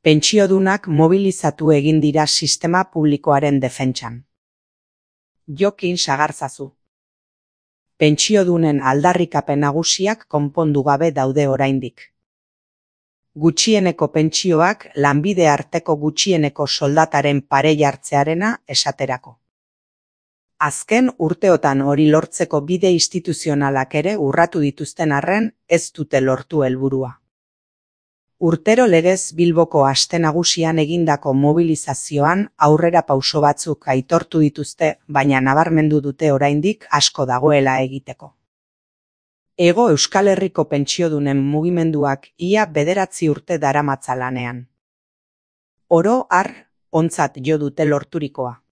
Pentsiodunak mobilizatu egin dira sistema publikoaren defentsan. Jokin sagarzazu. Pentsiodunen aldarrikapen nagusiak konpondu gabe daude oraindik. Gutxieneko pentsioak lanbide arteko gutxieneko soldataren pare jartzearena esaterako. Azken urteotan hori lortzeko bide instituzionalak ere urratu dituzten arren ez dute lortu helburua. Urtero legez Bilboko aste nagusian egindako mobilizazioan aurrera pauso batzuk aitortu dituzte, baina nabarmendu dute oraindik asko dagoela egiteko. Hego Euskal Herriko pentsiodunen mugimenduak ia 9 urte daramatza lanean. Oro har, ontzat jo dute lorturikoa.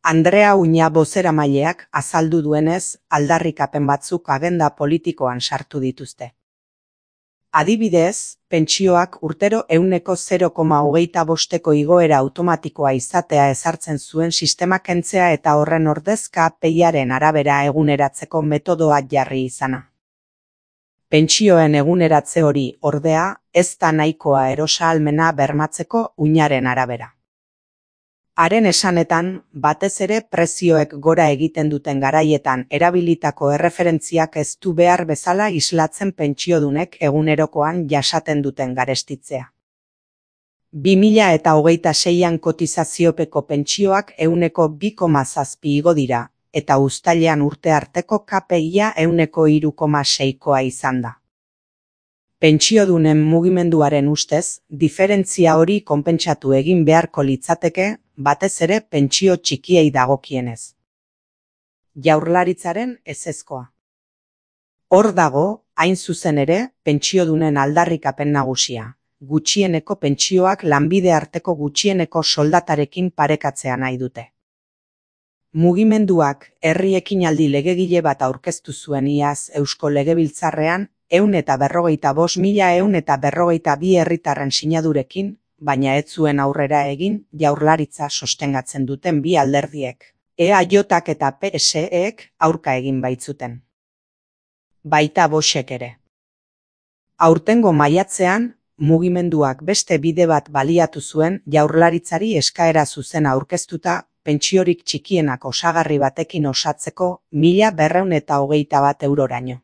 Andrea Uña bozeramaileak azaldu duenez, aldarrikapen batzuk agenda politikoan sartu dituzte. Adibidez, pentsioak urtero 0,25% igoera automatikoa izatea ezartzen zuen sistema kentzea eta horren ordez KPIaren arabera eguneratzeko metodoa jarri izana. Pentsioen eguneratze hori, ordea, ez da nahikoa erosahalmena bermatzeko Uñaren arabera. Haren esanetan, batez ere prezioek gora egiten duten garaietan erabilitako erreferentziak ez du behar bezala islatzen pentsiodunek egunerokoan jasaten duten garestitzea. 2026an kotizaziopeko pentsioak 2,7 igo dira, eta uztailean urte arteko KPIa 3,6koa izan da. Pentsiodunen mugimenduaren ustez, diferentzia hori konpentsatu egin beharko litzateke, batez ere pentsio txikiei dagokienez. Jaurlaritzaren ezezkoa. Hor dago, hain zuzen ere, pentsiodunen aldarrikapen nagusia. Gutxieneko pentsioak lanbide arteko gutxieneko soldatarekin parekatzea nahi dute. Mugimenduak herri ekinaldi legegile bat aurkeztu zuen iaz Eusko Legebiltzarrean 145.142 herritarren sinadurekin, baina ez zuen aurrera egin Jaurlaritza sostengatzen duten bi alderdiek. EAJak eta PSEek aurka egin baitzuten. Baita Voxek ere. Aurtengo maiatzean, mugimenduak beste bide bat baliatu zuen Jaurlaritzari eskaera zuzena aurkeztuta, pentsiorik txikienak osagarri batekin osatzeko 1.221 euroraino.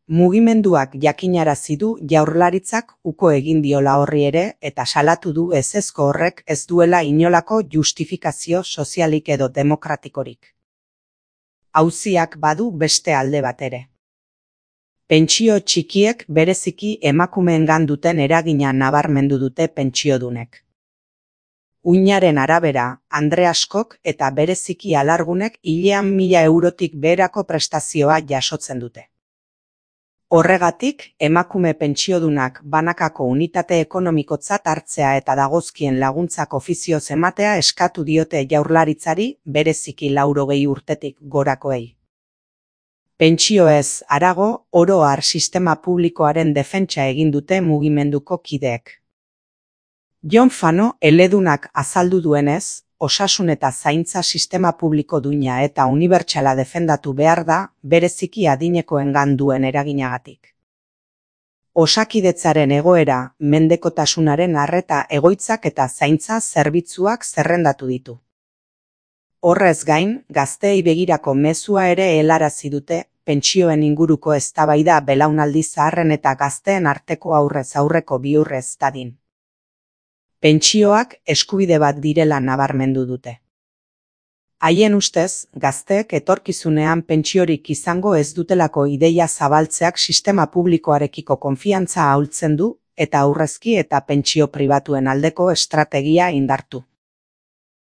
Mugimenduak jakinarazi du Jaurlaritzak uko egin diola horri ere eta salatu du ezezko horrek ez duela inolako justifikazio sozialik edo demokratikorik. Auziak badu beste alde bat ere. Pentsio txikiek bereziki emakumeengan duten eragina nabarmendu dute pentsiodunek. Uñaren arabera, andre askok eta bereziki alargunek hilean 1.000 eurotik beherako prestazioa jasotzen dute. Horregatik, emakume pentsiodunak banakako unitate ekonomikotzat hartzea eta dagozkien laguntzak ofizioz ematea eskatu diote Jaurlaritzari bereziki 80 urtetik gorakoei. Pentsioez harago, oro har sistema publikoaren defentsa egin dute mugimenduko kideek. Jon Fano eledunak azaldu duenez, osasun eta zaintza sistema publiko duina eta unibertsala defendatu behar da, bereziki adinekoengan duen eraginagatik. Osakidetzaren egoera, mendekotasunaren arreta egoitzak eta zaintza zerbitzuak zerrendatu ditu. Horrez gain, gazteei begirako mezua ere helarazi dute, pentsioen inguruko eztabaida belaunaldi zaharren eta gazteen arteko aurrez aurreko bihurrez dadin. Pentsioak eskubide bat direla nabarmendu dute. Haien ustez, gazteek etorkizunean pentsiorik izango ez dutelako ideia zabaltzeak sistema publikoarekiko konfiantza ahultzen du eta aurrezki eta pentsio pribatuen aldeko estrategia indartu.